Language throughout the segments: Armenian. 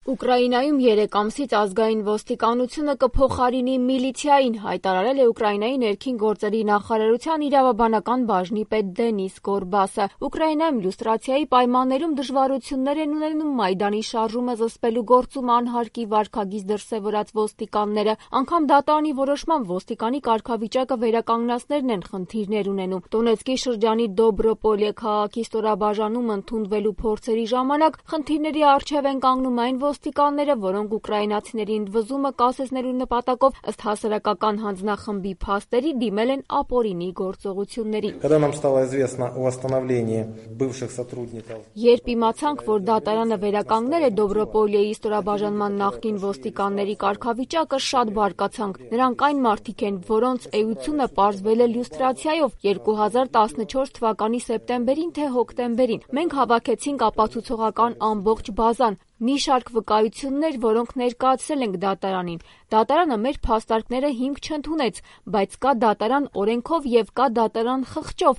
Ուկրաինայում 3 ամսից ազգային ոստիկանությունը կփոխարինի միլիցիային, հայտարարել է Ուկրաինայի ներքին գործերի նախարարության իրավաբանական բաժնի պետ Դենիս Գորբասը։ Ուկրաինայում լյուստրացիայի պայմաններում դժվարություններ են ունենում Մայդանի շարժումը զսպելու գործում անհարկի վարքագիծ դրսևորած ոստիկանները, անգամ դատարանի որոշմամբ ոստիկանի կարգավիճակը վերականգնածներն են խնդիրներ ունենում։ Դոնեցկի շրջանի Դոբրոպոլե քաղաքի ստորաբաժանում ընդունվելու փորձերի ժամանակ խնդիրների առջև են կանգնում այն ոստիկանները, որոնք ուկրաինացիների ընդվզումը կասեցնելու նպատակով ըստ հասարակական հանձնախմբի փաստերի դիմել են ապօրինի գործողությունների։ Երբ իմացանք, որ դատարանը վերականգնել է Դոբրոպոլեի ստորաբաժանման նախկին ոստիկանների կարգավիճակը, շատ բարկացանք։ Նրանք այն մարդիկ են, որոնց էությունը պարզվել է լյուստրացիայով 2014 թվականի սեպտեմբերին թե հոկտեմբերին։ Մենք հավաքեցինք ապացուցողական ամբողջ բազան, մի շարք վկայություններ, որոնք ներկայացրել ենք դատարանին։ Դատարանը մեր փաստարկները հիմք չընդունեց, բայց կա դատարան օրենքով եւ կա դատարան խղճով։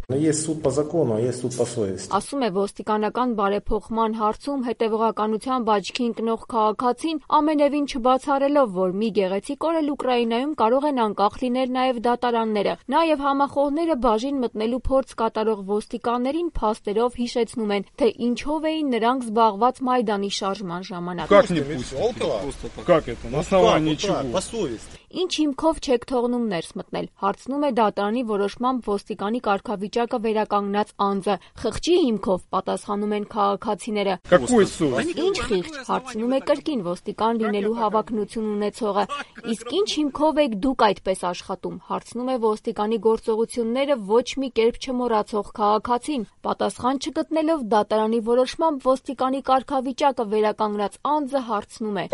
Ասում է ոստիկանական բարեփոխման հարցում հետևողականությամբ աչքի ընկնող քաղաքացին, ամենևին չբացառելով, որ մի գեղեցիկ օր էլ Ուկրաինայում կարող են անկախ լինել նաեւ դատարանները։ Նաեւ համախոհները բաժին մտնելու փորձ կատարող ոստիկաններին փաստերով հիշեցնում են, թե ինչով էին նրանք զբաղված Մայդանի շարժման ժամանակ։ Как это? На основании чего? Ինչ հիմքով չեք թողնում ներս մտնել, հարցնում է դատարանի որոշմամբ ոստիկանի կարգավիճակը վերականգնած անձը։ Խղճի հիմքով, պատասխանում են քաղաքացիները։ Ինչ խիղճ, հարցնում է կրկին ոստիկան լինելու հավակնություն ունեցողը։ Իսկ ինչ հիմքով եք դուք այդպես աշխատում, հարցնում է ոստիկանի գործողությունները ոչ մի կերպ չմոռացող քաղաքացին։ Պատասխան չգտնելով դատարանի որոշմամբ ոստիկանի կարգավիճակը վերականգնած անձը հարցնում է.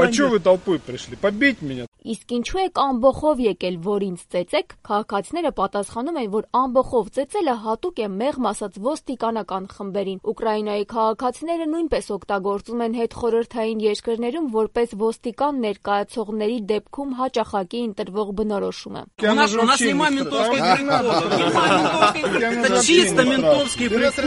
Իսկ ինչու եք ամբոխով եկել, որ ինձ ծեծեք։ Քաղաքացիները պատասխանում են, որ ամբոխով ծեծելը հատուկ է մեղմ ասած ոստիկանական խմբերին։ Ուկրաինայի քաղաքացիները նույնպես օգտագործում են հետխորհրդային երկրներում որպես ոստիկան ներկայացողների դեպքում հաճախակի ընտրվող բնորոշումը։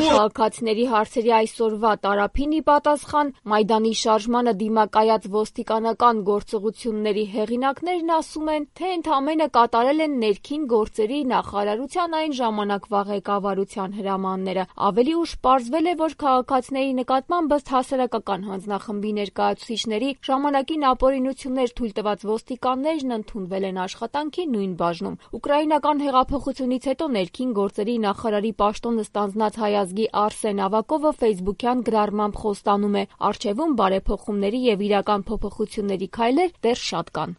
Քաղաքացիների հարցերի այսօրվա տարափին ի պատասխան Մայդանի շարժմանը դիմակայած ոստիկանական գործողությունների հեղինակներն ասում են, թե ընդամենը կատարել են ներքին գործերի նախարարության այն ժամանակվա ղեկավարության հրամանները։ Ավելի ուշ պարզվել է, որ քաղաքացիների նկատմամբ ըստ հասարակական հանձնախմբի ներկայացուցիչների ժամանակին ապօրինություններ թույլ տված ոստիկաններն ընդունվել են աշխատանքի նույն բաժնում։ Ուկրաինական հեղափոխությունից հետո ներքին գործերի նախարարի պաշտոնը ստանձնած հայ ազգի Արսեն Ավակովը ֆեյսբուքյան գրառմամբ խոստանում է. «Առջևում բարեփոխումների եւ իրական փոփոխությունների քայլեր դեռ շատ կան»։